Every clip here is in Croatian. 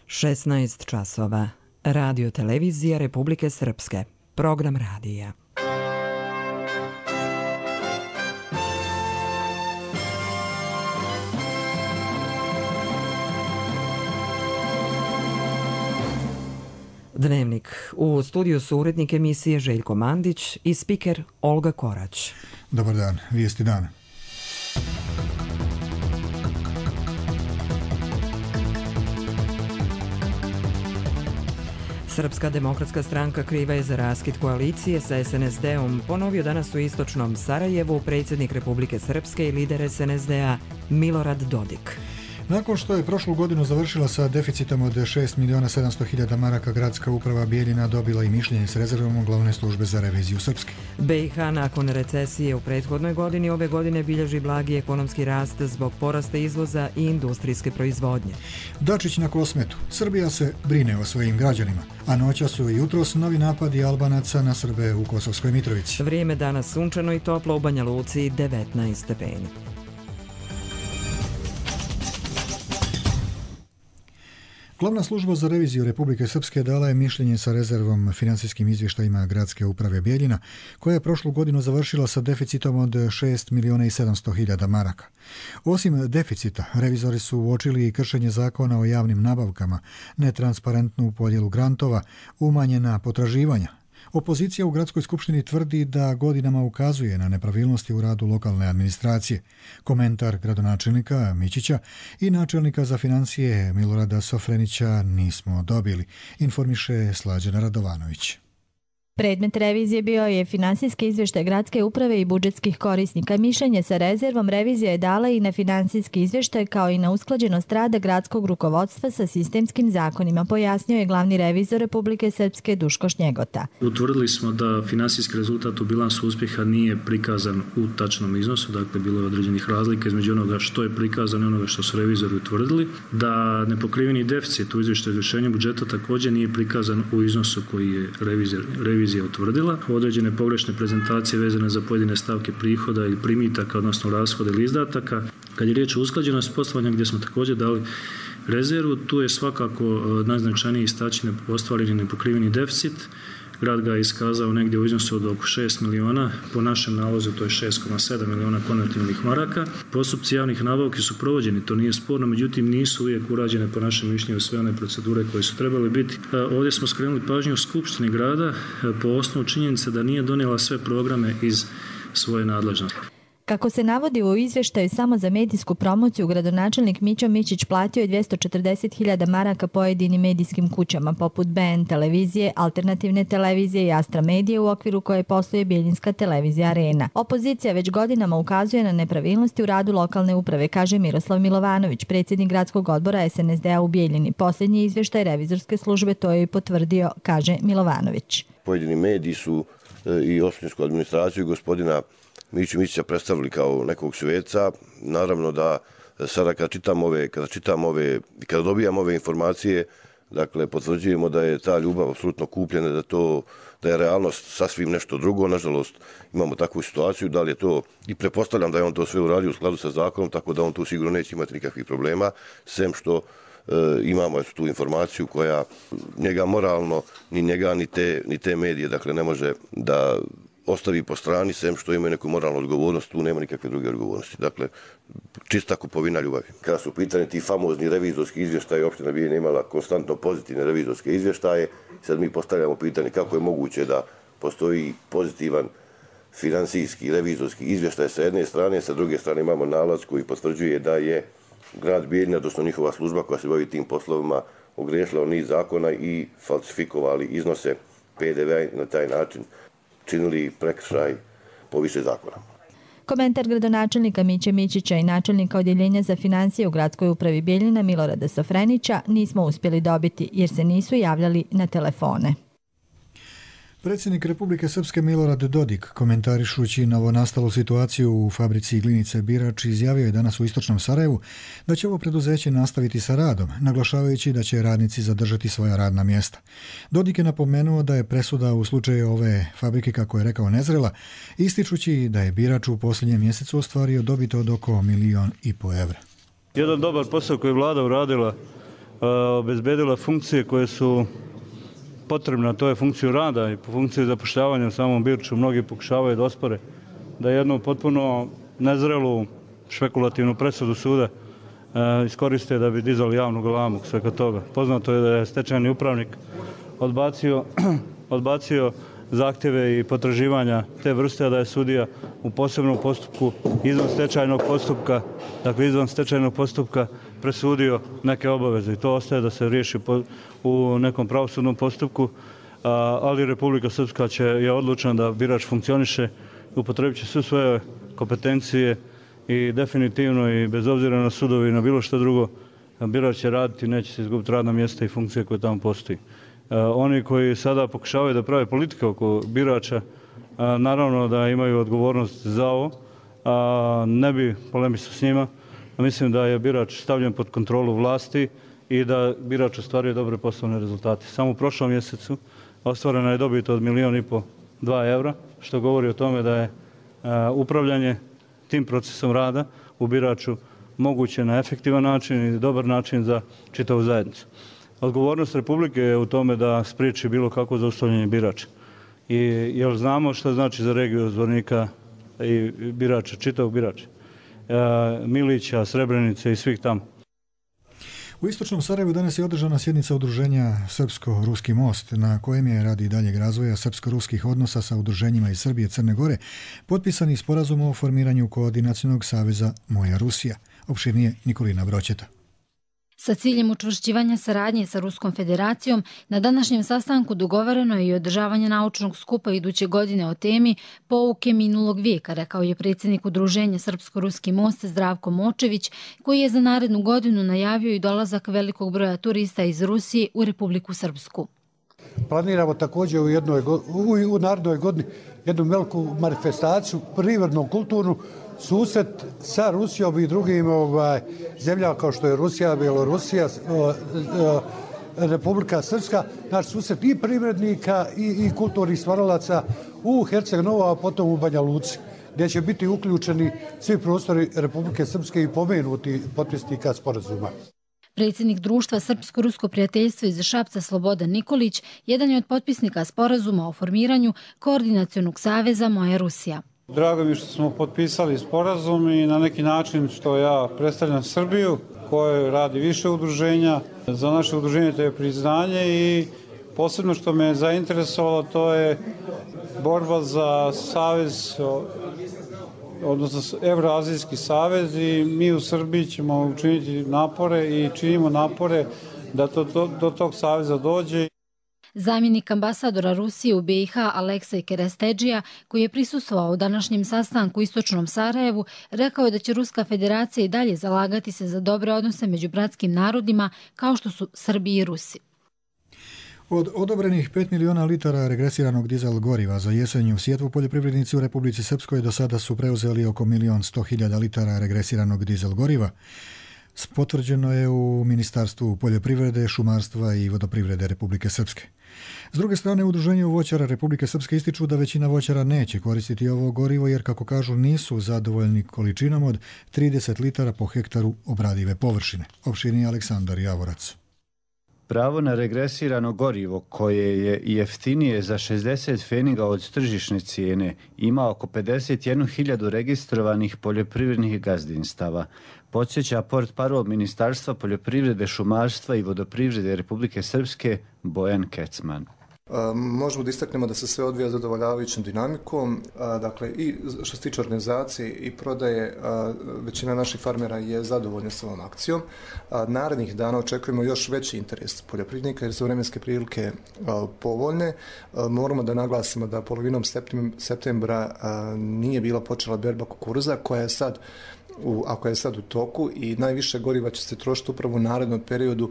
16 časova. Radio televizija Republike Srpske. Program radija. Dnevnik. U studiju su urednik emisije Željko Mandić i spiker Olga Korać. Dobar dan, vijesti dana. Srpska demokratska stranka kriva je za raskid koalicije sa SNSD-om, ponovio danas u istočnom Sarajevu predsjednik Republike Srpske i lider SNSD-a Milorad Dodik. Nakon što je prošlu godinu završila sa deficitom od 6.700.000 maraka, gradska uprava Bijeljina dobila i mišljenje s rezervom glavne službe za reviziju Srpske. BiH nakon recesije u prethodnoj godini ove godine bilježi blagi ekonomski rast zbog porasta izvoza i industrijske proizvodnje. Dačić na Kosmetu. Srbija se brine o svojim građanima, a noća su i jutros novi napadi Albanaca na Srbe u Kosovskoj Mitrovici. Vrijeme danas sunčano i toplo, u Banja Luci 19 stepeni. Glavna služba za reviziju Republike Srpske dala je mišljenje sa rezervom financijskim izvještajima gradske uprave Bijeljina, koja je prošlu godinu završila sa deficitom od 6.700.000 maraka. Osim deficita, revizori su uočili i kršenje zakona o javnim nabavkama, netransparentnu podjelu grantova, umanjena potraživanja. Opozicija u gradskoj skupštini tvrdi da godinama ukazuje na nepravilnosti u radu lokalne administracije. Komentar gradonačelnika Mićića i načelnika za financije Milorada Sofrenića nismo dobili, informiše Slađana Radovanović. Predmet revizije bio je finansijski izvještaj gradske uprave i budžetskih korisnika. Mišljenje sa rezervom revizija je dala i na finansijski izvještaj kao i na usklađenost rada gradskog rukovodstva sa sistemskim zakonima, pojasnio je glavni revizor Republike Srpske Duško Šnjegota. Utvrdili smo da finansijski rezultat u bilansu uspjeha nije prikazan u tačnom iznosu, dakle bilo je određenih razlika između onoga što je prikazano i onoga što su revizori utvrdili, da nepokriveni deficit u izvještaju izvršenja budžeta također nije prikazan u iznosu koji je revizija utvrdila. Određene pogrešne prezentacije vezane za pojedine stavke prihoda ili primitaka, odnosno rashoda ili izdataka. Kad je riječ o usklađenosti poslovanja gdje smo također dali rezervu, tu je svakako najznačajniji istaći ostvareni nepokriveni deficit. Grad ga je iskazao negdje u iznosu od oko 6 miliona, po našem nalozu to je 6,7 miliona konvertibilnih maraka. Postupci javnih nabavki su provođeni, to nije sporno, međutim nisu uvijek urađene po našem mišljenju sve one procedure koje su trebale biti. Ovdje smo skrenuli pažnju u Skupštini grada po osnovu činjenice da nije donijela sve programe iz svoje nadležnosti. Kako se navodi u izvještaju, samo za medijsku promociju gradonačelnik Mićo Mićić platio je 240.000 maraka pojedinim medijskim kućama poput BN televizije, Alternativne televizije i Astra medije, u okviru koje posluje Bijeljinska televizija Arena. Opozicija već godinama ukazuje na nepravilnosti u radu lokalne uprave, kaže Miroslav Milovanović, predsjednik gradskog odbora SNSD-a u Bijeljini. Posljednji izvještaj revizorske službe to je i potvrdio, kaže Milovanović. Pojedini mediji su i opštinsku administraciju gospodina Miću Mićića predstavili kao nekog sveca. Naravno da sada kada dobijamo ove informacije, dakle potvrđujemo da je ta ljubav apsolutno kupljena, da je realnost sasvim nešto drugo. Nažalost imamo takvu situaciju, da li je to, i pretpostavljam da je on to sve uradio u skladu sa zakonom, tako da on tu sigurno neće imati nikakvih problema, sem što imamo tu informaciju koja njega moralno, ni njega ni te medije, dakle ne može da ostavi po strani, sem što imaju neku moralnu odgovornost, tu nema nikakve druge odgovornosti. Dakle, čista kupovina ljubavi. Kada su pitanje ti famozni revizorski izvještaji, opština Bijeljina imala konstantno pozitivne revizorske izvještaje. Sad mi postavljamo pitanje kako je moguće da postoji pozitivan finansijski revizorski izvještaj sa jedne strane, sa druge strane imamo nalaz koji potvrđuje da je grad Bijeljina, odnosno njihova služba koja se bavi tim poslovima, ogriješila niz zakona i falsifikovali iznose PDV na taj način činili prekršaj po više zakona. Komentar gradonačelnika Miće Mićića i načelnika odjeljenja za financije u gradskoj upravi Bijeljina Milorada Sofrenića nismo uspjeli dobiti jer se nisu javljali na telefone. Predsjednik Republike Srpske Milorad Dodik, komentarišući novonastalu situaciju u fabrici glinice Birač, izjavio je danas u istočnom Sarajevu da će ovo preduzeće nastaviti sa radom, naglašavajući da će radnici zadržati svoja radna mjesta. Dodik je napomenuo da je presuda u slučaju ove fabrike, kako je rekao, nezrela, ističući da je Birač u posljednjem mjesecu ostvario dobit od oko 1,5 miliona evra. Jedan dobar posao koji je vlada uradila obezbedila funkcije koje su potrebne, to je funkciju rada i funkciju zapošljavanja u samom Birču. Mnogi pokušavaju da ospore da jednu potpuno nezrelu špekulativnu presudu suda iskoriste da bi dizali javnu galamu svega toga. Poznato je da je stečajni upravnik odbacio zahtjeve i potraživanja te vrste, a da je sudija u posebnom postupku izvan stečajnog postupka presudio neke obaveze i to ostaje da se riješi u nekom pravosudnom postupku, ali Republika Srpska je odlučna da birač funkcioniše, upotrebit će sve svoje kompetencije i definitivno i bez obzira na sudovi i na bilo što drugo, birač će raditi, neće se izgubiti radna mjesta i funkcije koje tamo postoji. Oni koji sada pokušavaju da prave politike oko birača, naravno da imaju odgovornost za ovo, ne bi polemisao s njima. Mislim da je birač stavljen pod kontrolu vlasti i da birač ostvaruje dobre poslovne rezultate. Samo u prošlom mjesecu ostvarena je dobit od 1,5 milijuna, 2 evra, što govori o tome da je upravljanje tim procesom rada u biraču moguće na efektivan način i dobar način za čitavu zajednicu. Odgovornost Republike je u tome da spriječi bilo kakvo zaustavljanje birača. Jer znamo što znači za regiju Zvornika i birača, čitavog birača. Milića, Srebrenice i svih tamo. U istočnom Sarajevu danas je održana sjednica udruženja Srpsko-Ruski most, na kojem je radi daljeg razvoja srpsko-ruskih odnosa sa udruženjima iz Srbije i Crne Gore potpisani sporazum o formiranju koordinacionog saveza Moja Rusija. Opširnije Nikolina Broćeta. Sa ciljem učvršćivanja saradnje sa Ruskom federacijom, na današnjem sastanku dogovoreno je i održavanje naučnog skupa iduće godine o temi Pouke minulog vijeka, rekao je predsjednik udruženja Srpsko-Ruski most Zdravko Močević, koji je za narednu godinu najavio i dolazak velikog broja turista iz Rusije u Republiku Srpsku. Planiramo također u narednoj godini jednu veliku manifestaciju, privrednu, kulturnu, susret sa Rusijom i drugim zemljama kao što je Rusija, Bjelorusija, Republika Srpska, naš susret i privrednika i kulturnih stvaralaca u Herceg-Novu, a potom u Banja Luci, gdje će biti uključeni svi prostori Republike Srpske i pomenuti potpisnika sporazuma. Predsjednik društva Srpsko-Rusko prijateljstvo iz Šapca Slobodan Nikolić jedan je od potpisnika sporazuma o formiranju Koordinacionog saveza Moja Rusija. Drago mi je što smo potpisali sporazum i na neki način što ja predstavljam Srbiju koje radi više udruženja. Za naše udruženje to je priznanje i posebno što me je zainteresovalo to je borba za savez, odnosno Evroazijski savez i mi u Srbiji ćemo učiniti napore i činimo napore da do tog saveza dođe. Zamjenik ambasadora Rusije u BiH Aleksej Kerestedžija, koji je prisustvovao u današnjem sastanku u istočnom Sarajevu, rekao je da će Ruska federacija i dalje zalagati se za dobre odnose među bratskim narodima kao što su Srbi i Rusi. Od odobrenih 5 miliona litara regresiranog dizel goriva za jesenju sjetvu, poljoprivrednici u Republici Srpskoj do sada su preuzeli oko 1.100.000 litara regresiranog dizel goriva. Potvrđeno je u Ministarstvu poljoprivrede, šumarstva i vodoprivrede Republike Srpske. S druge strane, u Udruženju voćara Republike Srpske ističu da većina voćara neće koristiti ovo gorivo jer, kako kažu, nisu zadovoljni količinom od 30 litara po hektaru obradive površine. Opširni Aleksandar Javorac. Pravo na regresirano gorivo, koje je jeftinije za 60 pfeniga od tržišne cijene, ima oko 51.000 registrovanih poljoprivrednih gazdinstava. Podsjeća portparol Ministarstva poljoprivrede, šumarstva i vodoprivrede Republike Srpske Bojan Kecman. Možemo da istaknemo da se sve odvija zadovoljavajućom dinamikom, dakle i što se tiče organizacije i prodaje, većina naših farmera je zadovoljna s ovom akcijom. Narednih dana očekujemo još veći interes poljoprivrednika jer su vremenske prilike povoljne. Moramo da naglasimo da polovinom septembra nije bila počela berba kukuruza koja je sad u toku i najviše goriva će se trošiti upravo u narednom periodu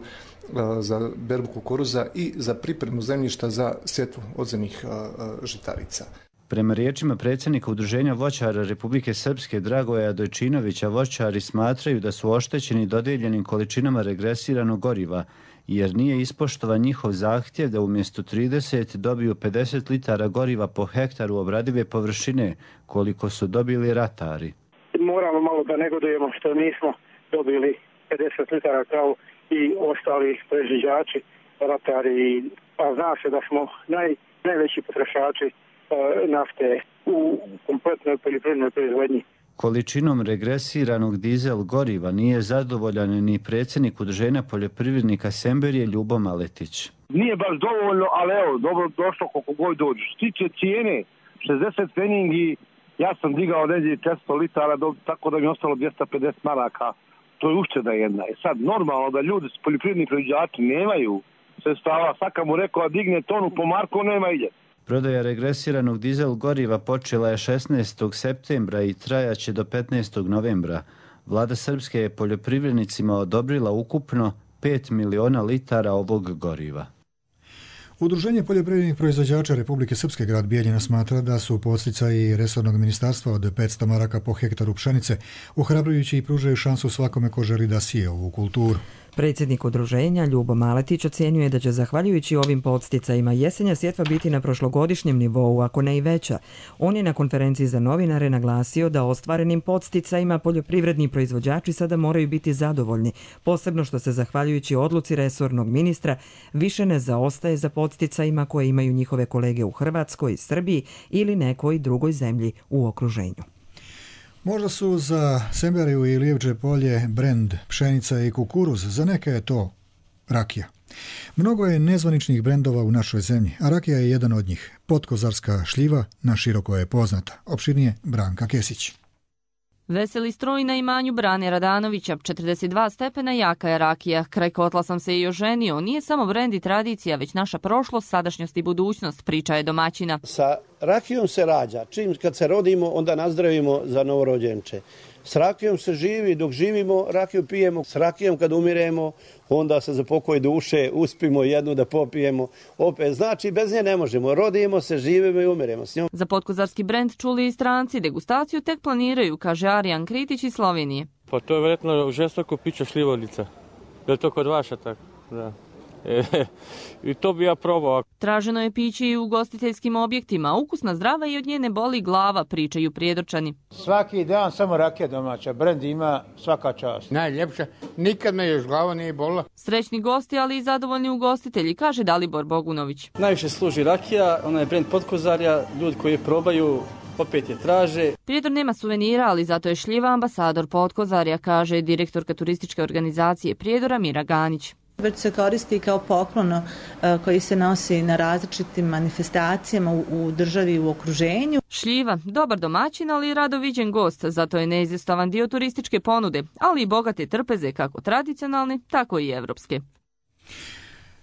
za berbu kukuruza i za pripremu zemljišta za sjetvu odzemnih žitarica. Prema riječima predsjednika Udruženja voćara Republike Srpske Dragoja Dojčinovića, voćari smatraju da su oštećeni dodijeljenim količinama regresiranog goriva, jer nije ispoštovan njihov zahtjev da umjesto 30 dobiju 50 litara goriva po hektaru obradive površine, koliko su dobili ratari. Moramo malo da negodujemo što nismo dobili 50 litara kao i ostali proizvođači, ratari, a zna se da smo najveći potrošači nafte u kompletnoj poljoprivrednoj proizvodnji. Količinom regresiranog dizel goriva nije zadovoljan ni predsjednik Udruženja poljoprivrednika Semberije Ljubo Maletić. Nije baš dovoljno, ali evo, dobro došlo koliko god dođe. Što tiče cijene, 60 pfeningi, ja sam digao negdje 400 litara, tako da mi je ostalo 250 maraka. To je ušteda jedna. Sad, normalno da ljudi, poljoprivredni proizvođači nemaju sredstava, svaka mu rekao, digne tonu po marku, nema ide. Prodaja regresiranog dizel goriva počela je 16. septembra i trajaće do 15. novembra. Vlada Srpske je poljoprivrednicima odobrila ukupno 5 miliona litara ovog goriva. Udruženje poljoprivrednih proizvođača Republike Srpske grad Bijeljina smatra da su podsticaji resornog ministarstva od 500 maraka po hektaru pšenice ohrabrujući i pružaju šansu svakome ko želi da sije ovu kulturu. Predsjednik udruženja Ljubo Maletić ocjenjuje da će zahvaljujući ovim podsticajima jesenja sjetva biti na prošlogodišnjem nivou, ako ne i veća. On je na konferenciji za novinare naglasio da ostvarenim podsticajima poljoprivredni proizvođači sada moraju biti zadovoljni, posebno što se zahvaljujući odluci resornog ministra više ne zaostaje za podsticajima koje imaju njihove kolege u Hrvatskoj, Srbiji ili nekoj drugoj zemlji u okruženju. Možda su za Semberiju i Lijevče polje brend pšenica i kukuruz, za neke je to rakija. Mnogo je nezvaničnih brendova u našoj zemlji, a rakija je jedan od njih. Potkozarska šljiva naširoko je poznata. Opširnije Branka Kesić. Veseli stroj na imanju Brane Radanovića, 42 stepena jaka je rakija. Kraj kotla sam se i oženio. Nije samo brend i tradicija, već naša prošlost, sadašnjost i budućnost, priča je domaćina. Sa rakijom se rađa. Čim kad se rodimo, onda nazdravimo za novorođenče. S rakijom se živi, dok živimo, rakiju pijemo. S rakijom kad umiremo, onda se za pokoj duše uspimo jednu da popijemo. Opet, znači, bez nje ne možemo. Rodimo se, živimo i umiremo s njom. Za potkozarski brend čuli i stranci. Degustaciju tek planiraju, kaže Arijan Kritić iz Slovenije. Pa to je vjerojatno žestoko pića šljivovica. Je li to kod vaša tako? Da. I to bi ja probao. Traženo je piće i u ugostiteljskim objektima. Ukusna, zdrava i od nje ne boli glava, pričaju Prijedorčani. Svaki dan samo rakija domaća. Brend ima svaka čast. Najljepša. Nikad me još glava nije bolila. Srećni gosti, ali i zadovoljni ugostitelji, kaže Dalibor Bogunović. Najviše služi rakija, ona je brend Potkozarja. Ljudi koji je probaju opet je traže. Prijedor nema suvenira, ali zato je šljiva ambasador Potkozarja, kaže direktorka turističke organizacije Prijedora Mira Ganić. Već se koristi kao poklon koji se nosi na različitim manifestacijama u državi i u okruženju. Šljiva, dobar domaćin, ali i rado viđen gost, zato je neizostavan dio turističke ponude, ali i bogate trpeze, kako tradicionalne, tako i evropske.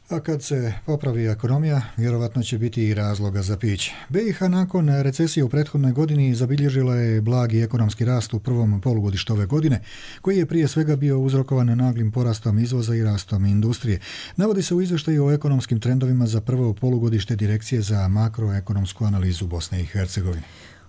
A kad se popravi ekonomija, vjerovatno će biti i razloga za piće. BiH nakon recesije u prethodnoj godini zabilježila je blagi ekonomski rast u prvom polugodištu ove godine, koji je prije svega bio uzrokovan naglim porastom izvoza i rastom industrije. Navodi se u izvještaju o ekonomskim trendovima za prvo polugodište Direkcije za makroekonomsku analizu Bosne i Hercegovine.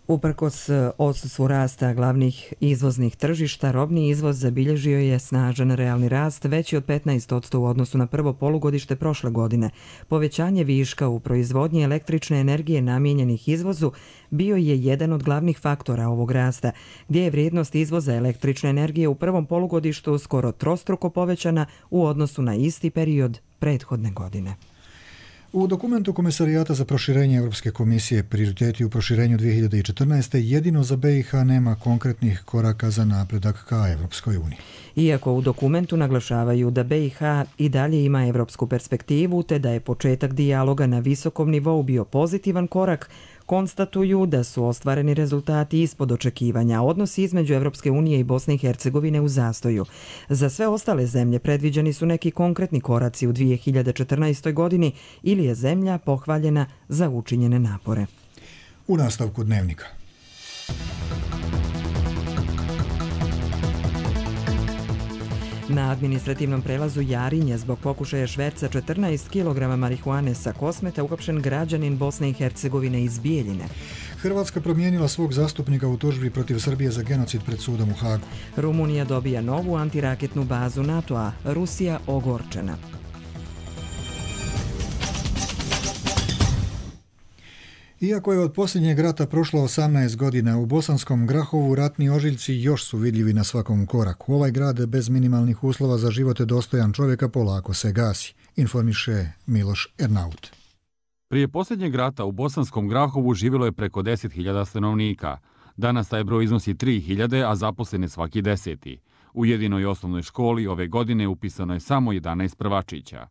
Uprkos odsustvu rasta glavnih izvoznih tržišta, robni izvoz zabilježio je snažan realni rast veći od 15% u odnosu na prvo polugodište prošle godine. Povećanje viška u proizvodnji električne energije namijenjenih izvozu bio je jedan od glavnih faktora ovog rasta, gdje je vrijednost izvoza električne energije u prvom polugodištu skoro trostruko povećana u odnosu na isti period prethodne godine. U dokumentu Komesarijata za proširenje Europske komisije prioriteti u proširenju 2014. jedino za BiH nema konkretnih koraka za napredak ka Europskoj uniji. Iako u dokumentu naglašavaju da BiH i dalje ima evropsku perspektivu te da je početak dijaloga na visokom nivou bio pozitivan korak, konstatuju da su ostvareni rezultati ispod očekivanja, odnosi između Evropske unije i Bosne i Hercegovine u zastoju. Za sve ostale zemlje predviđeni su neki konkretni koraci u 2014. godini ili je zemlja pohvaljena za učinjene napore. U nastavku dnevnika. Na administrativnom prelazu Jarinje zbog pokušaja šverca 14 kg marihuane sa Kosmeta uhapšen građanin Bosne i Hercegovine iz Bijeljine. Hrvatska promijenila svog zastupnika u tužbi protiv Srbije za genocid pred sudom u Hagu. Rumunija dobija novu antiraketnu bazu NATO-a, Rusija ogorčena. Iako je od posljednjeg rata prošlo 18 godina, u Bosanskom Grahovu ratni ožiljci još su vidljivi na svakom koraku. Ovaj grad bez minimalnih uslova za život dostojan čovjeka polako se gasi, informiše Miloš Ernaut. Prije posljednjeg rata u Bosanskom Grahovu živjelo je preko 10.000 stanovnika. Danas taj broj iznosi 3.000, a zaposlen je svaki 10. U jedinoj osnovnoj školi ove godine upisano je samo 11 prvačića.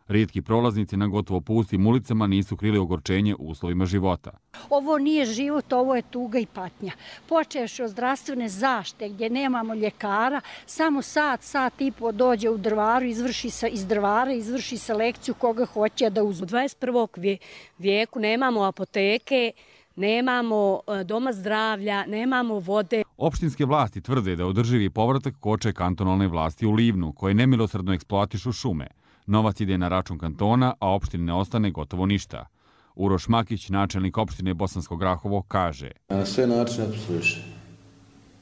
Rijetki prolaznici na gotovo pustim ulicama nisu krili ogorčenje u uslovima života. Ovo nije život, ovo je tuga i patnja. Počevši od zdravstvene zaštite gdje nemamo ljekara, samo sat i po dođe u drvaru, iz drvara izvrši selekciju koga hoće da uzme. U 21. vijeku nemamo apoteke, nemamo doma zdravlja, nemamo vode. Opštinske vlasti tvrde da održivi povratak koče kantonalne vlasti u Livnu, koje nemilosrdno eksploatišu šume. Novac ide na račun kantona, a opštini ne ostane gotovo ništa. Uroš Makić, načelnik opštine Bosansko Grahovo, kaže: Na sve načine opstruiše.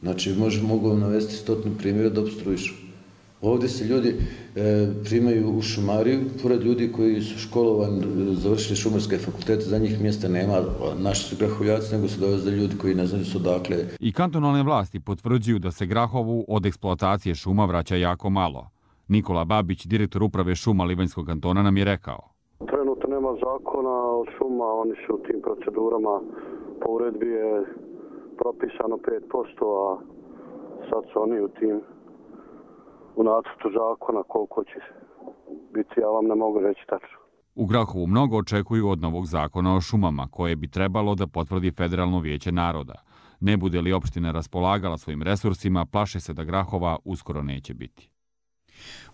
Znači, mogu vam navesti 100 primjera da opstruišu. Ovdje se ljudi primaju u šumariju, pored ljudi koji su školovani, završili šumarske fakultete, za njih mjesta nema, naši su grahovljaci, nego su dovezali ljudi koji ne znaju su odakle. I kantonalne vlasti potvrđuju da se Grahovu od eksploatacije šuma vraća jako malo. Nikola Babić, direktor uprave šuma Livanjskog kantona, nam je rekao: Trenutno nema zakona o šuma, oni su u tim procedurama, po uredbi je propisano 5%, a sad su oni u nacrtu zakona koliko će biti, ja vam ne mogu reći tačno. U Grahovu mnogo očekuju od novog zakona o šumama, koje bi trebalo da potvrdi Federalno vijeće naroda. Ne bude li opština raspolagala svojim resursima, plaše se da Grahova uskoro neće biti.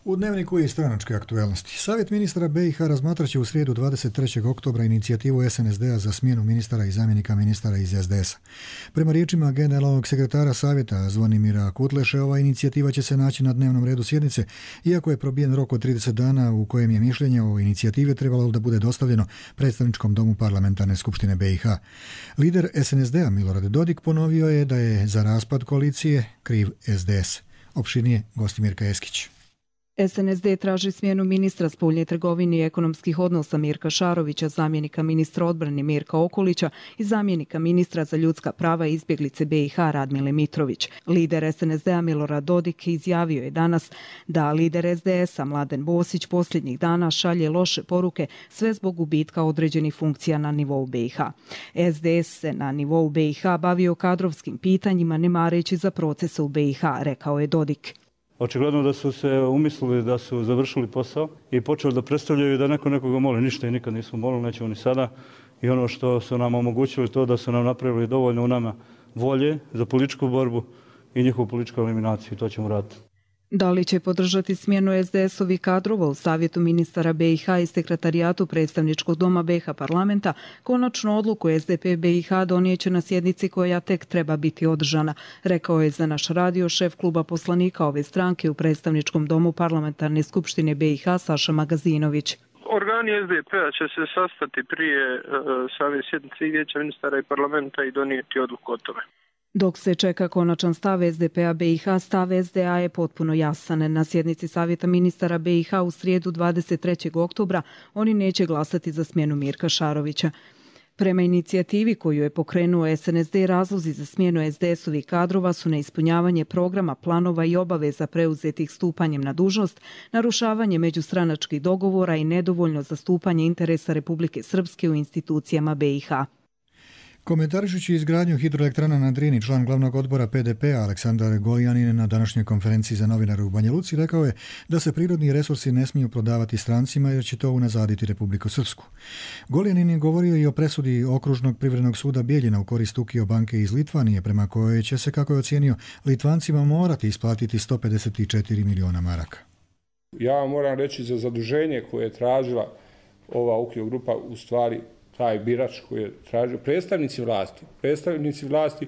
U dnevniku je stranačke aktuelnosti. Savjet ministara BiH razmatraće u srijedu 23. oktobra inicijativu SNSD-a za smjenu ministara i zamjenika ministara iz SDS-a. Prema riječima generalnog sekretara savjeta Zvonimira Kutleše, ova inicijativa će se naći na dnevnom redu sjednice, iako je probijen rok od 30 dana u kojem je mišljenje o inicijativi trebalo da bude dostavljeno predstavničkom domu parlamentarne skupštine BiH. Lider SNSD-a Milorad Dodik ponovio je da je za raspad koalicije kriv SDS. Opširnije Gostimirka Eskić. SNSD traži smjenu ministra spoljne trgovine i ekonomskih odnosa Mirka Šarovića, zamjenika ministra odbrane Mirka Okolića i zamjenika ministra za ljudska prava i izbjeglice BiH Radmile Mitrović. Lider SNSD-a Milorad Dodik izjavio je danas da lider SDS-a Mladen Bosić posljednjih dana šalje loše poruke sve zbog gubitka određenih funkcija na nivou BiH. SDS se na nivou BiH bavio kadrovskim pitanjima ne mareći za procese u BiH, rekao je Dodik. Očigledno da su se umislili da su završili posao i počeli da predstavljaju da neko nekoga moli. Ništa i nikad nismo molili, nećemo ni sada. I ono što su nam omogućili to da su nam napravili dovoljno u nama volje za političku borbu i njihovu političku eliminaciju. To ćemo raditi. Da li će podržati smjenu SDS-ovih kadrova u Savjetu ministara BiH i Sekretarijatu predstavničkog doma BiH parlamenta, konačnu odluku SDP BiH donijeće na sjednici koja tek treba biti održana, rekao je za naš radio šef kluba poslanika ove stranke u predstavničkom domu parlamentarne skupštine BiH Saša Magazinović. Organi SDP-a će se sastati prije same sjednice i vijeća ministara i parlamenta i donijeti odluku o tome. Dok se čeka konačan stav SDP-a BiH, stav SDA je potpuno jasan. Na sjednici Savjeta ministara BiH u srijedu 23. oktobra oni neće glasati za smjenu Mirka Šarovića. Prema inicijativi koju je pokrenuo SNSD, razlozi za smjenu SDS-ovih kadrova su neispunjavanje programa, planova i obaveza preuzetih stupanjem na dužnost, narušavanje međustranačkih dogovora i nedovoljno zastupanje interesa Republike Srpske u institucijama BiH. Komentarišući izgradnju hidroelektrana na Drini, član glavnog odbora PDP-a Aleksandar Goljanin na današnjoj konferenciji za novinare u Banja Luci rekao je da se prirodni resursi ne smiju prodavati strancima jer će to unazaditi Republiku Srpsku. Goljanin je govorio i o presudi Okružnog privrednog suda Bijeljina u korist Ukio banke iz Litvanije, prema kojoj će se, kako je ocijenio, Litvancima morati isplatiti 154 miliona maraka. Ja moram reći za zaduženje koje je tražila ova Ukio grupa, u stvari taj birač koji je tražio, predstavnici vlasti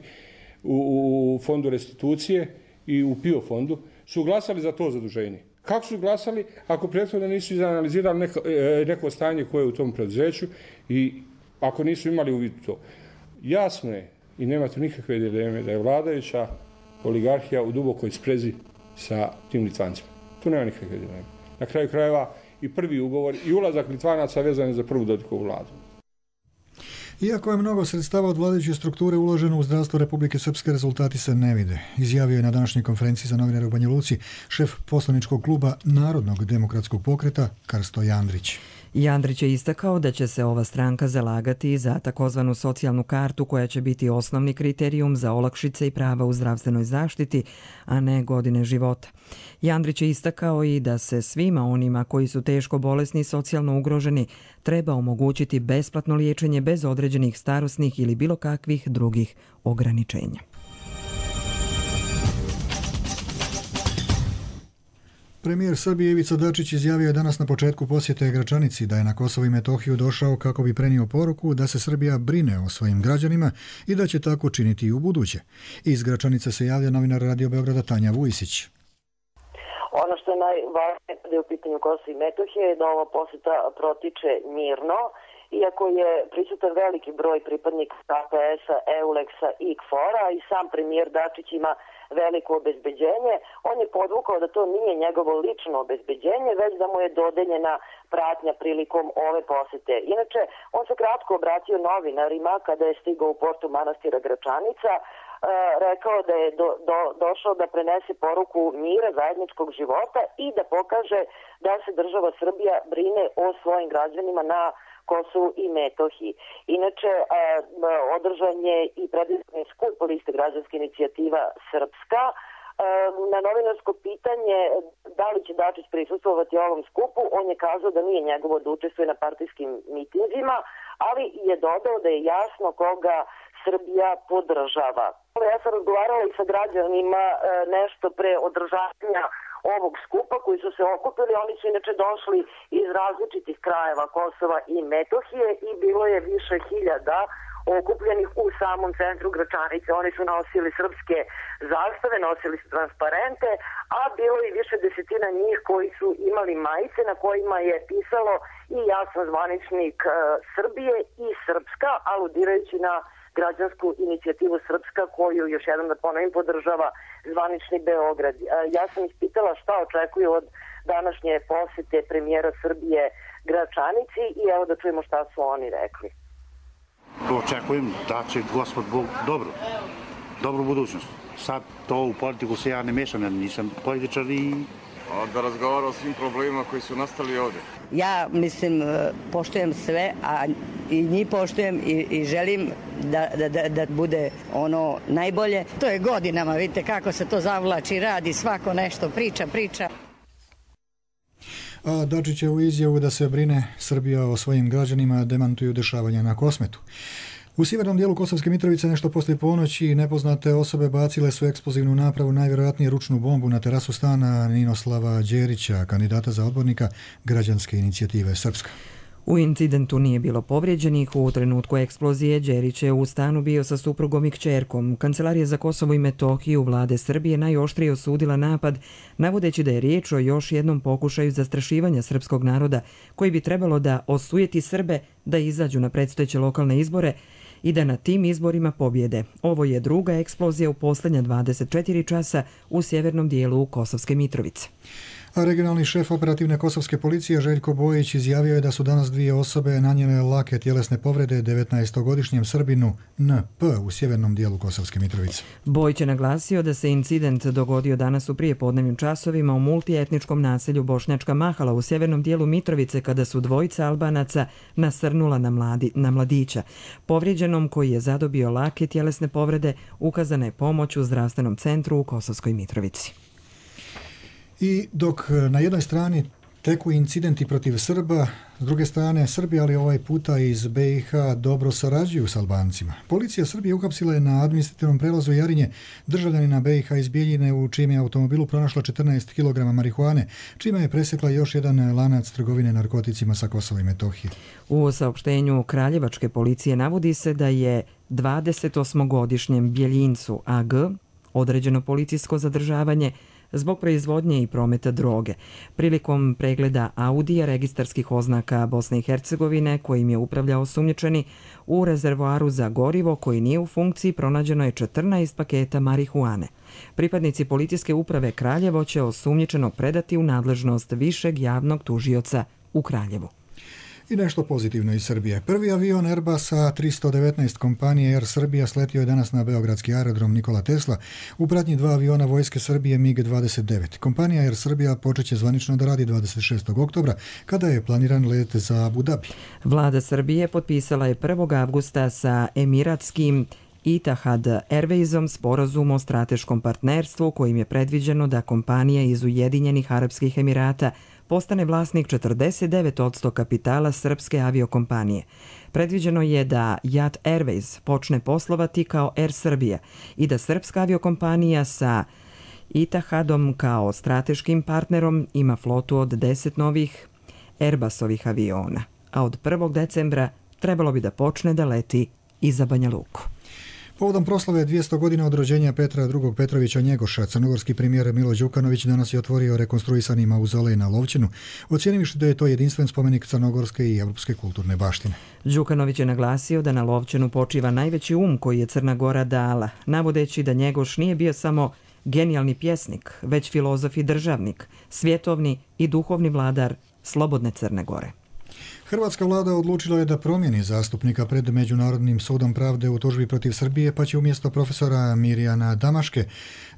u fondu restitucije i u PIO fondu su glasali za to zaduženje. Kako su glasali ako prethodno nisu izanalizirali neko stanje koje je u tom preduzeću i ako nisu imali uvid u to? Jasno je i nema tu nikakve dileme da je vladajuća oligarhija u dubokoj sprezi sa tim Litvancima. Tu nema nikakve dileme. Na kraju krajeva i prvi ugovor i ulazak Litvanaca vezan je za prvu Dodikovu vladu. Iako je mnogo sredstava od vladajuće strukture uloženo u zdravstvo Republike Srpske, rezultati se ne vide. Izjavio je na današnjoj konferenciji za novinare u Banja Luci šef poslaničkog kluba Narodnog demokratskog pokreta Krsto Jandrić. Jandrić je istakao da će se ova stranka zalagati za takozvanu socijalnu kartu koja će biti osnovni kriterijum za olakšice i prava u zdravstvenoj zaštiti, a ne godine života. Jandrić je istakao i da se svima onima koji su teško bolesni i socijalno ugroženi treba omogućiti besplatno liječenje bez određenih starosnih ili bilo kakvih drugih ograničenja. Premijer Srbije Ivica Dačić izjavio je danas na početku posjete Gračanici da je na Kosovo i Metohiju došao kako bi prenio poruku da se Srbija brine o svojim građanima i da će tako činiti i u buduće. Iz Gračanice se javlja novinar Radio Beograda Tanja Vujisić. Ono što je najvažnije kada je u pitanju Kosova i Metohije je da ova posjeta protiče mirno, iako je prisutan veliki broj pripadnika KPS-a, EULEX-a i KFOR-a i sam premijer Dačić ima veliko obezbeđenje. On je podvukao da to nije njegovo lično obezbeđenje, već da mu je dodeljena pratnja prilikom ove posete. Inače, on se kratko obratio novinarima kada je stigao u portu manastira Gračanica, rekao da je došao da prenese poruku mira, zajedničkog života i da pokaže da se država Srbija brine o svojim građanima na Kosovu i Metohiji. Inače, održan je i predizborni skup liste Građanska inicijativa Srpska. Na novinarsko pitanje da li će Dačić prisustvovati ovom skupu, on je kazao da nije njegovo da učestvuje na partijskim mitinzima, ali je dodao da je jasno koga Srbija podržava. Ja sam razgovarala i sa građanima nešto pre održavanja ovog skupa koji su se okupili. Oni su inače došli iz različitih krajeva Kosova i Metohije i bilo je više hiljada okupljenih u samom centru Gračanice. Oni su nosili srpske zastave, nosili su transparente, a bilo je više desetina njih koji su imali majice na kojima je pisalo i jasan zvaničnik Srbije i Srpska, aludirajući na Građansku inicijativu Srpska koju, još jednom da ponovim, podržava zvanični Beograd. Ja sam ispitala šta očekuju od današnje posete premijera Srbije Gračanici i evo da čujemo šta su oni rekli. Očekujem da će Gospod Bog dobru budućnost. Sad to u politiku se ja ne mešam, ja nisam političar i... Da razgovara o svim problemima koji su nastali ovdje. Ja mislim, poštujem sve, a i njih poštujem i želim da bude ono najbolje. To je godinama, vidite kako se to zavlači, radi, svako nešto priča. A Dačićevu izjavu da se brine Srbija o svojim građanima demantuju dešavanja na Kosmetu. U sjevernom dijelu Kosovske Mitrovice nešto poslije ponoći nepoznate osobe bacile su eksplozivnu napravu, najvjerojatnije ručnu bombu na terasu stana Ninoslava Đerića, kandidata za odbornika Građanske inicijative Srpska. U incidentu nije bilo povrijeđenih. U trenutku eksplozije Đerić je u stanu bio sa suprugom i kćerkom. Kancelarija za Kosovo i Metohiju vlade Srbije najoštrije osudila napad, navodeći da je riječ o još jednom pokušaju zastrašivanja srpskog naroda, koji bi trebalo da osujeti Srbe da izađu na predstojeće lokalne izbore i da na tim izborima pobjede. Ovo je druga eksplozija u posljednja 24 časa u sjevernom dijelu Kosovske Mitrovice. A regionalni šef operativne kosovske policije Željko Bojić izjavio je da su danas dvije osobe nanijele lake tjelesne povrede 19-godišnjem Srbinu NP u sjevernom dijelu Kosovske Mitrovice. Bojić je naglasio da se incident dogodio danas u prijepodnevnim časovima u multietničkom naselju Bošnjačka Mahala u sjevernom dijelu Mitrovice kada su dvojica Albanaca nasrnula na mladića. Povrijeđenom koji je zadobio lake tjelesne povrede ukazana je pomoć u zdravstvenom centru u Kosovskoj Mitrovici. I dok na jednoj strani teku incidenti protiv Srba, s druge strane Srbi, ali ovaj puta iz BiH, dobro sarađuju s Albancima. Policija Srbije uhapsila je na administrativnom prelazu Jarinje državljanina BiH iz Bijeljine u čijem je automobilu pronašla 14 kg marihuane, čime je presjekla još jedan lanac trgovine narkoticima sa Kosova i Metohije. U saopštenju Kraljevačke policije navodi se da je 28-godišnjem Bijeljincu AG određeno policijsko zadržavanje zbog proizvodnje i prometa droge. Prilikom pregleda Audija registarskih oznaka Bosne i Hercegovine kojim je upravljao osumnjičeni, u rezervoaru za gorivo koji nije u funkciji pronađeno je 14 paketa marihuane. Pripadnici policijske uprave Kraljevo će osumnjičenog predati u nadležnost višeg javnog tužioca u Kraljevu. I nešto pozitivno iz Srbije. Prvi avion Airbusa 319 kompanije Air Srbija sletio je danas na beogradski aerodrom Nikola Tesla u pratnji 2 aviona Vojske Srbije MiG-29. Kompanija Air Srbija počeće zvanično da radi 26. oktobra kada je planiran let za Abu Dhabi. Vlada Srbije potpisala je 1. avgusta sa emiratskim Etihad Airwaysom sporazum o strateškom partnerstvu kojim je predviđeno da kompanija iz Ujedinjenih Arapskih Emirata postane vlasnik 49% kapitala srpske aviokompanije. Predviđeno je da Yat Airways počne poslovati kao Air Srbija i da srpska aviokompanija sa Etihadom kao strateškim partnerom ima flotu od 10 novih Airbusovih aviona, a od 1. decembra trebalo bi da počne da leti i za Banja Luku. Povodom proslave 200 godina od rođenja Petra II. Petrovića Njegoša, crnogorski premijer Milo Đukanović danas je otvorio rekonstruisani mauzolej na Lovćenu, ocijenivši da je to jedinstven spomenik crnogorske i evropske kulturne baštine. Đukanović je naglasio da na Lovćenu počiva najveći koji je Crna Gora dala, navodeći da Njegoš nije bio samo genijalni pjesnik, već filozof i državnik, svjetovni i duhovni vladar slobodne Crne Gore. Hrvatska vlada odlučila je da promijeni zastupnika pred Međunarodnim sudom pravde u tužbi protiv Srbije, pa će umjesto profesora Mirjana Damaške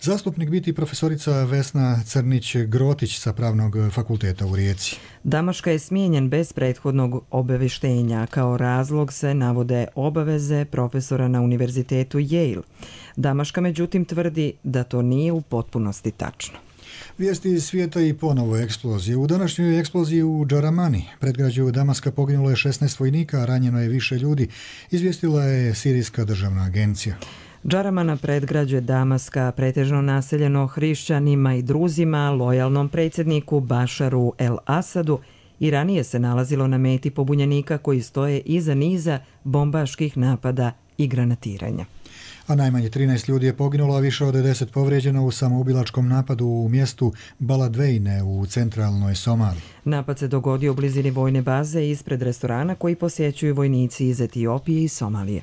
zastupnik biti profesorica Vesna Crnić-Grotić sa Pravnog fakulteta u Rijeci. Damaška je smijenjen bez prethodnog obavještenja. Kao razlog se navode obaveze profesora na univerzitetu Yale. Damaška međutim tvrdi da to nije u potpunosti tačno. Vijesti iz svijeta i ponovo eksplozije. U današnjoj eksploziji u Džaramani, predgrađu Damaska, poginulo je 16 vojnika, a ranjeno je više ljudi, izvijestila je Sirijska državna agencija. Džaramana, predgrađe Damaska, pretežno naseljeno hrišćanima i druzima, lojalnom predsjedniku Bašaru el-Asadu, i ranije se nalazilo na meti pobunjenika koji stoje iza niza bombaških napada i granatiranja. A najmanje 13 ljudi je poginulo, a više od 10 povrijeđeno u samoubilačkom napadu u mjestu Baladvejne u centralnoj Somaliji. Napad se dogodio u blizini vojne baze ispred restorana koji posjećuju vojnici iz Etiopije i Somalije.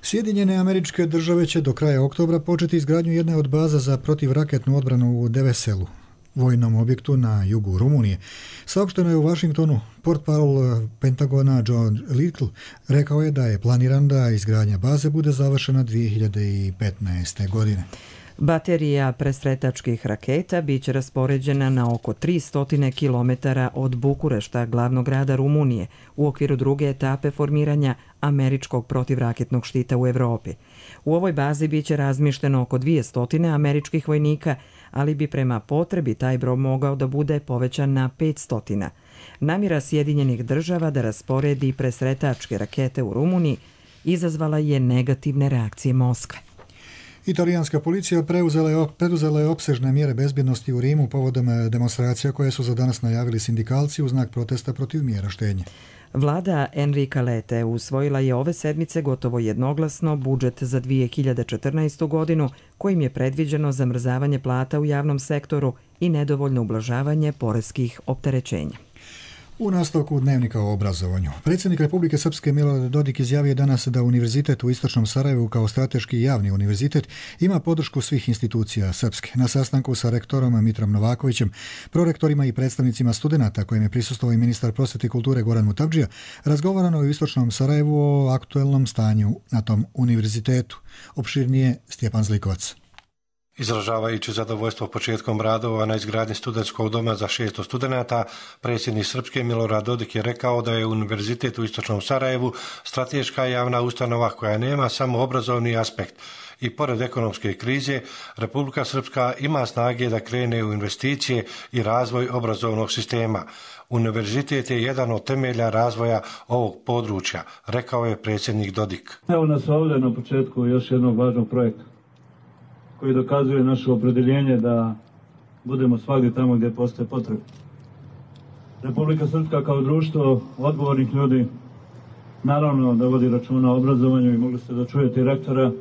Sjedinjene Američke Države će do kraja oktobra početi izgradnju jedne od baza za protivraketnu odbranu u Deveselu, vojnom objektu na jugu Rumunije. Saopšteno je u Washingtonu. Portparol Pentagona John Little rekao je da je planiran da izgradnja baze bude završena 2015. godine. Baterija presretačkih raketa biće raspoređena na oko 300 km od Bukurešta, glavnog grada Rumunije, u okviru druge etape formiranja američkog protivraketnog štita u Evropi. U ovoj bazi biće razmišteno oko 200 američkih vojnika, ali bi prema potrebi taj broj mogao da bude povećan na 500. Namjera Sjedinjenih Država da rasporedi presretačke rakete u Rumuniji izazvala je negativne reakcije Moskve. Italijanska policija preduzela je opsežne mjere bezbjednosti u Rimu povodom demonstracija koje su za danas najavili sindikalci u znak protesta protiv mjera štednje. Vlada Enrika Lete usvojila je ove sedmice gotovo jednoglasno budžet za 2014. godinu kojim je predviđeno zamrzavanje plata u javnom sektoru i nedovoljno ublažavanje poreskih opterećenja. U nastavku dnevnika o obrazovanju. Predsjednik Republike Srpske Milorad Dodik izjavio danas da Univerzitet u Istočnom Sarajevu kao strateški javni univerzitet ima podršku svih institucija Srpske. Na sastanku sa rektorom Mitrom Novakovićem, prorektorima i predstavnicima studenata kojem je prisustvovao i ministar prosvete i kulture Goran Mutavdžija, razgovarano je u Istočnom Sarajevu o aktuelnom stanju na tom univerzitetu. Opširnije Stjepan Zlikovac. Izražavajući zadovoljstvo početkom radova na izgradnji studentskog doma za 600 studenata, predsjednik Srpske Milorad Dodik je rekao da je Univerzitet u Istočnom Sarajevu strateška javna ustanova koja nema samo obrazovni aspekt. I pored ekonomske krize, Republika Srpska ima snage da krene u investicije i razvoj obrazovnog sistema. Univerzitet je jedan od temelja razvoja ovog područja, rekao je predsjednik Dodik. Evo nas ovdje na početku još jednog važnog projekta koji dokazuje naše opredjeljenje da budemo svagdje tamo gdje postoje potrebe. Republika Srpska kao društvo odgovornih ljudi naravno da vodi računa o obrazovanju i mogli ste da čujete rektora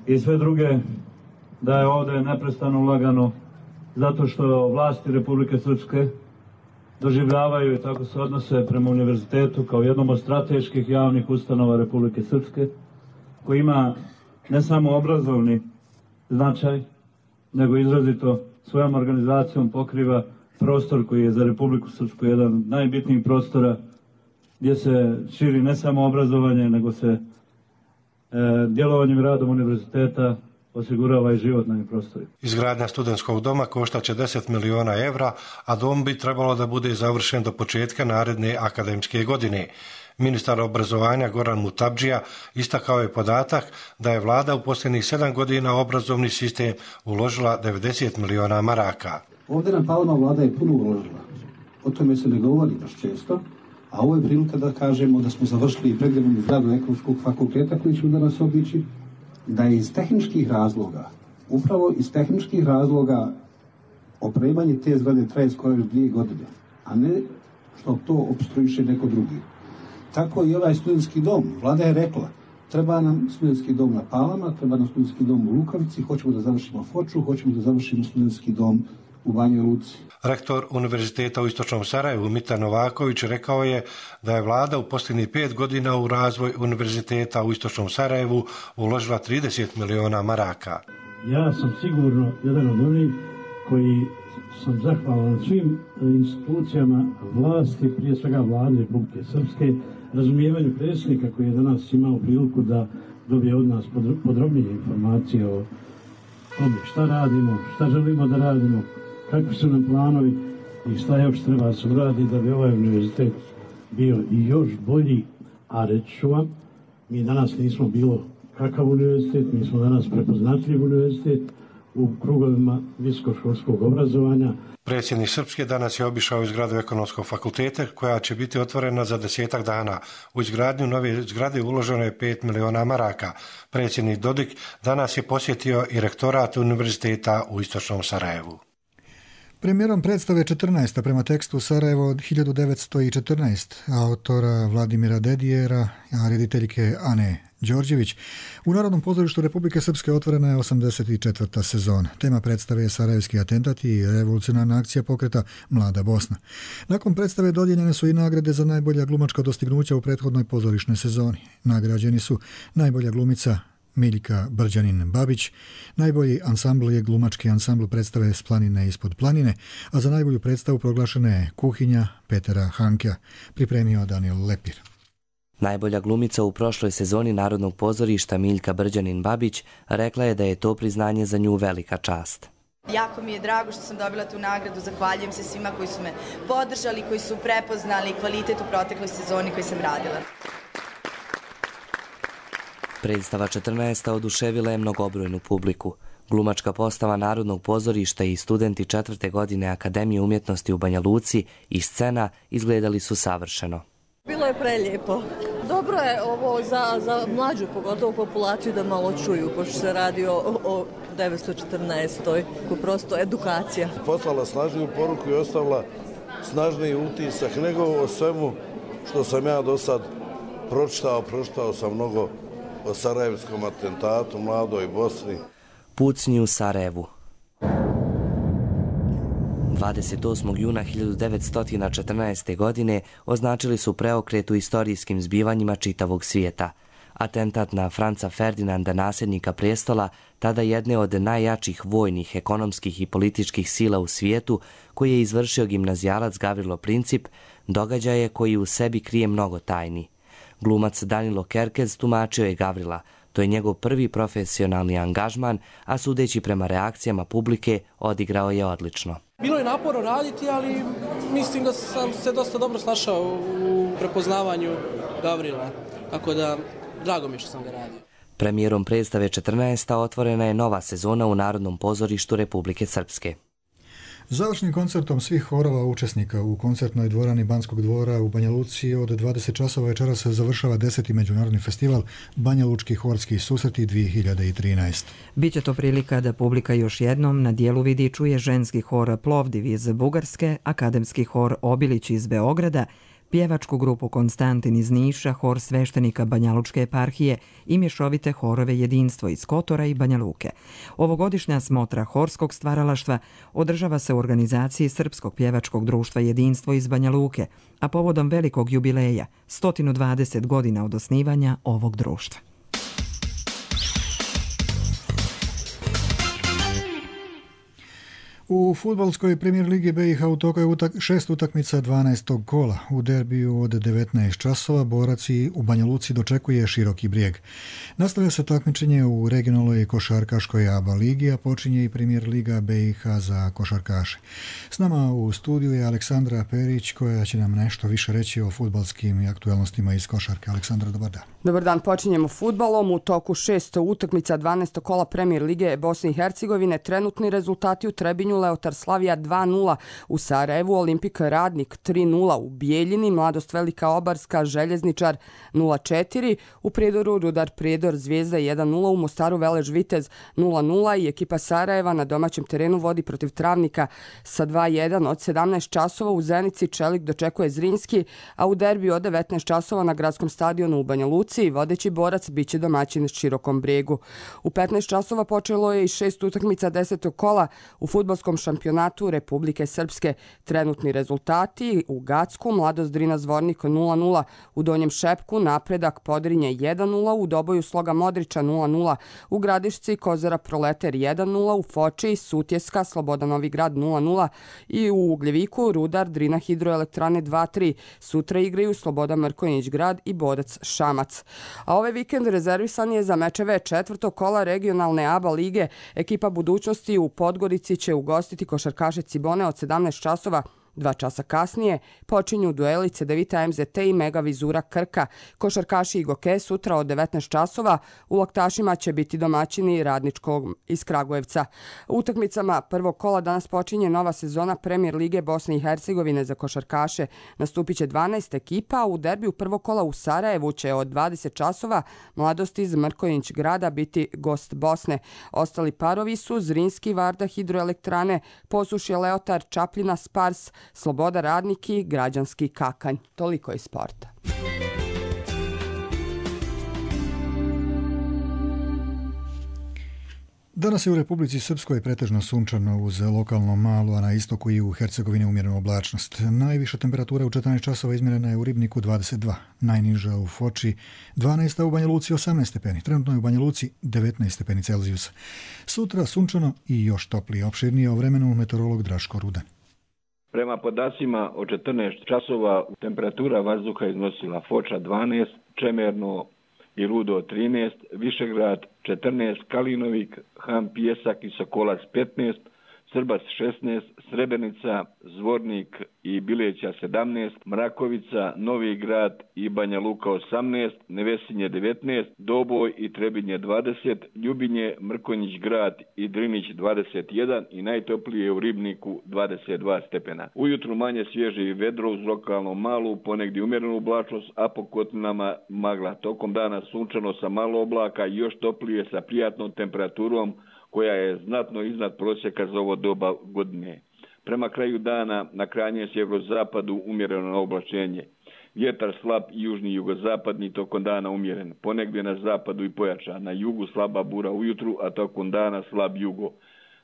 i sve druge da je ovdje neprestano ulagano zato što vlasti Republike Srpske doživljavaju i tako se odnose prema univerzitetu kao jednom od strateških javnih ustanova Republike Srpske koji ima ne samo obrazovni značaj, nego izrazito svojom organizacijom pokriva prostor koji je za Republiku Srpsku jedan od najbitnijih prostora gdje se širi ne samo obrazovanje, nego se djelovanjem i radom univerziteta osigurava i život na ovim prostorima. Izgradnja studentskog doma koštaće 10 miliona evra, a dom bi trebalo da bude završen do početka naredne akademske godine. Ministar obrazovanja Goran Mutabdžija istakao je podatak da je vlada u posljednjih 7 godina u obrazovni sistem uložila 90 miliona maraka. Ovdje na Palma vlada je puno uložila. O tome se ne govori baš često, a ovo je prilika da kažemo da smo završili predivnu zgradu ekonomskog fakulteta koji ćemo danas obići, da je iz tehničkih razloga, upravo iz tehničkih razloga opremanje te zgrade traje skoro 2 godine, a ne što to opstruiše neko drugi. Tako i ovaj studentski dom. Vlada je rekla, treba nam studentski dom na Palama, treba nam studentski dom u Lukavici, hoćemo da završimo Foču, hoćemo da završimo studentski dom u Banjoj Luci. Rektor Univerziteta u Istočnom Sarajevu Mitar Novaković rekao je da je vlada u posljednjih 5 godina u razvoj Univerziteta u Istočnom Sarajevu uložila 30 miliona maraka. Ja sam sigurno jedan od onih koji sam zahvalan svim institucijama vlasti, prije svega vlade Republike Srpske, razumijevanju predsjednika koji je danas imao priliku da dobije od nas podrobnije informacije o tome šta radimo, šta želimo da radimo, kakvi su nam planovi i šta još treba se uraditi da bi ovaj univerzitet bio i još bolji, a reći ću vam, mi danas nismo bilo kakav univerzitet, mi smo danas prepoznatljiv univerzitet u krugovima visokoškolskog obrazovanja. Predsjednik Srpske danas je obišao izgradu Ekonomskog fakulteta koja će biti otvorena za 10 dana. U izgradnju nove zgrade uloženo je 5 miliona maraka. Predsjednik Dodik danas je posjetio i rektorat Univerziteta u Istočnom Sarajevu. Premijerom predstave 14. prema tekstu Sarajevo od 1914. autora Vladimira Dedijera, a rediteljke Ane Đorđević, u Narodnom pozorištu Republike Srpske otvorena je 84. sezona. Tema predstave je sarajevski atentati i revolucionarna akcija pokreta Mlada Bosna. Nakon predstave dodijeljene su i nagrade za najbolja glumačka dostignuća u prethodnoj pozorišnoj sezoni. Nagrađeni su najbolja glumica Miljka Brđanin-Babić, najbolji ansambl je glumački ansambl predstave S planine ispod planine, a za najbolju predstavu proglašena je Kuhinja Petera Hankea, pripremio Daniel Lepir. Najbolja glumica u prošloj sezoni Narodnog pozorišta Miljka Brđanin-Babić rekla je da je to priznanje za nju velika čast. Jako mi je drago što sam dobila tu nagradu, zahvaljujem se svima koji su me podržali, koji su prepoznali kvalitet u protekloj sezoni koji sam radila. Predstava 14. oduševila je mnogobrojnu publiku. Glumačka postava Narodnog pozorišta i studenti 4. godine Akademije umjetnosti u Banja Luci i scena izgledali su savršeno. Bilo je prelijepo. Dobro je ovo za mlađu, pogotovo populaciju, da malo čuju, pošto se radi o 914. Prosto edukacija. Poslala snažniju poruku i ostavila snažniji utisak nego o svemu što sam ja do sad pročitao sam mnogo o sarajevskom atentatu, Mladoj Bosni. Pucnji u Sarajevu. 28. juna 1914. godine označili su preokret u istorijskim zbivanjima čitavog svijeta. Atentat na Franca Ferdinanda, nasljednika prestola, tada jedne od najjačih vojnih, ekonomskih i političkih sila u svijetu, koji je izvršio gimnazijalac Gavrilo Princip, događaj je koji u sebi krije mnogo tajni. Glumac Danilo Kerkez tumačio je Gavrila. To je njegov prvi profesionalni angažman, a sudeći prema reakcijama publike, odigrao je odlično. Bilo je naporno raditi, ali mislim da sam se dosta dobro snašao u prepoznavanju Gavrila, tako da drago mi je što sam ga radio. Premijerom predstave 14. otvorena je nova sezona u Narodnom pozorištu Republike Srpske. Završnim koncertom svih horova učesnika u koncertnoj dvorani Banskog dvora u Banja Luci od 20 časova večeras završava 10. međunarodni festival Banja Lučki horski susreti 2013. Biće to prilika da publika još jednom na dijelu vidi i čuje ženski hor Plovdiv iz Bugarske, akademski hor Obilić iz Beograda, pjevačku grupu Konstantin iz Niša, hor sveštenika Banja Lučke eparhije i mješovite horove Jedinstvo iz Kotora i Banja Luke. Ovogodišnja smotra horskog stvaralaštva održava se u organizaciji Srpskog pjevačkog društva Jedinstvo iz Banja Luke, a povodom velikog jubileja, 120 godina od osnivanja ovog društva. U fudbalskoj premijer ligi BiH u toku je 6 utakmica 12. kola. U derbiju od 19 časova borac u Banja Luci dočekuje Široki Brijeg. Nastavlja se takmičenje u regionalnoj košarkaškoj ABA ligi, a počinje i premijer liga BiH za košarkaše. S nama u studiju je Aleksandra Perić koja će nam nešto više reći o fudbalskim aktualnostima iz košarke. Aleksandra, dobar dan. Dobar dan, počinjemo fudbalom. U toku 6 utakmica 12. kola premijer lige Bosne i Hercegovine trenutni rezultati u Trebinju: Leotar Slavija 2-0, u Sarajevu Olimpik Radnik 3-0, u Bijeljini Mladost Velika Obarska Željezničar 0-4, u Prijedoru Rudar Prijedor Zvijezda 1-0, u Mostaru Velež Vitez 0-0 i ekipa Sarajeva na domaćem terenu vodi protiv Travnika sa 2-1. Od 17 časova u Zenici Čelik dočekuje Zrinski, a u derbiju od 19 časova na gradskom stadionu u Banja Luci vodeći borac biće domaćin Širokom Brijegu. U 15 časova počelo je i 6 utakmica 10. kola u fudbalskom šampionatu Republike Srpske. Trenutni rezultati: u Gacku Mladost Drina Zvornik 0-0, u Donjem Šepku Napredak Podrinje 1-0, u Doboju Sloga Modrića 0-0, u Gradišci Kozara Proleter 1-0, u Foči Sutjeska Sloboda Novi Grad 0-0 i u Ugljeviku Rudar Drina Hidroelektrane 2-3. Sutra igraju Sloboda Mrkonjić Grad i Borac Šamac. A ovaj vikend rezervisan je za mečeve 4. kola regionalne ABA lige. Ekipa Budućnosti u Podgorici će ugostiti košarkaše Cibone od 17 časova. 2 časa kasnije počinju dueli Cedevita MZT i Mega Vizura Krka. Košarkaši Igoke sutra od 19 časova. U Laktašima će biti domaćini Radničkog iz Kragujevca. U utakmicama prvog kola danas počinje nova sezona premijer lige Bosne i Hercegovine za košarkaše. Nastupit će 12 ekipa, a u derbiju prvog kola u Sarajevu će od 20 časova Mladost iz Mrkonjić Grada biti gost Bosne. Ostali parovi su Zrinski Varda Hidroelektrane, Posušje Leotar Čapljina Spars, Sloboda Radnik i Građanski Kakanj. Toliko iz sporta. Danas je u Republici Srpskoj pretežno sunčano uz lokalno malo, a na istoku i u Hercegovini umjerenu oblačnost. Najviša temperatura u 14 časova izmjerena je u Ribniku 22, najniža u Foči 12, a u Banja Luci 18 stepeni. Trenutno je u Banja Luci 19 stepeni Celzijusa. Sutra sunčano i još toplije. Opširnije o vremenu meteorolog Draško Rudan. Prema podacima od 14 časova temperatura vazduha iznosila Foča 12, Čemerno i Rudo 13, Višegrad 14, Kalinovik, Han Pijesak i Sokolac 15, Srbac 16, Srebrenica, Zvornik i Bileća 17, Mrakovica, Novi Grad i Banja Luka 18, Nevesinje 19, Doboj i Trebinje 20, Ljubinje, Mrkonjić Grad i Drinić 21 i najtoplije u Ribniku 22 stepena. Ujutru manje svježe i vedro uz lokalno malu, ponegdje umjerenu oblačnost, a po kotlinama magla. Tokom dana sunčano sa malo oblaka i još toplije sa prijatnom temperaturom koja je znatno iznad prosjeka za ovo doba godine. Prema kraju dana na krajnjem sjeverozapadu umjereno oblačenje. Vjetar slab i južni jugozapadni, tokom dana umjeren. Ponegdje na zapadu i pojačan. Na jugu slaba bura ujutru, a tokom dana slab jugo.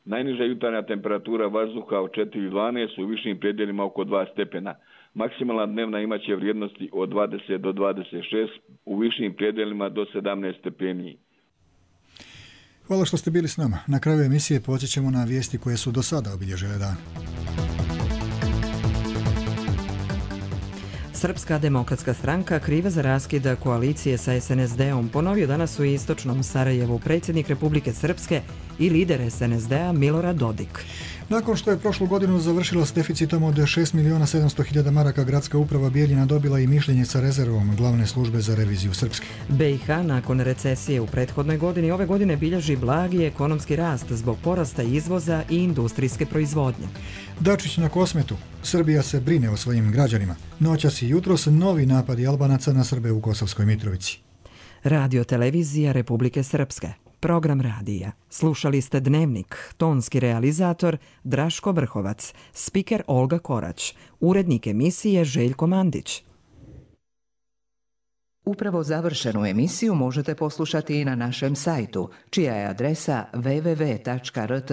Najniža jutarnja temperatura vazduha od 4,12, u višim predjelima oko 2 stepena. Maksimalna dnevna imaće vrijednosti od 20 do 26, u višim predjelima do 17 stepeni. Hvala što ste bili s nama. Na kraju emisije podsjećamo na vijesti koje su do sada obilježile dan. Srpska demokratska stranka kriva za raskid koalicije sa SNSD-om ponovio danas u istočnom Sarajevu predsjednik Republike Srpske i lider SNSD-a Milorad Dodik. Nakon što je prošlu godinu završila s deficitom od 6.700.000 maraka, gradska uprava Bijeljina dobila i mišljenje sa rezervom glavne službe za reviziju Srpske. BiH nakon recesije u prethodnoj godini ove godine bilježi blagi ekonomski rast zbog porasta izvoza i industrijske proizvodnje. Dačić na Kosmetu. Srbija se brine o svojim građanima. Noćas i jutros novi napadi Albanaca na Srbe u Kosovskoj Mitrovici. Radio televizija Republike Srpske. Program radija. Slušali ste Dnevnik, tonski realizator Draško Vrhovac, spiker Olga Korać, urednik emisije Željko Mandić. Upravo završenu emisiju možete poslušati i na našem sajtu, čija je adresa www.rtrs.tv.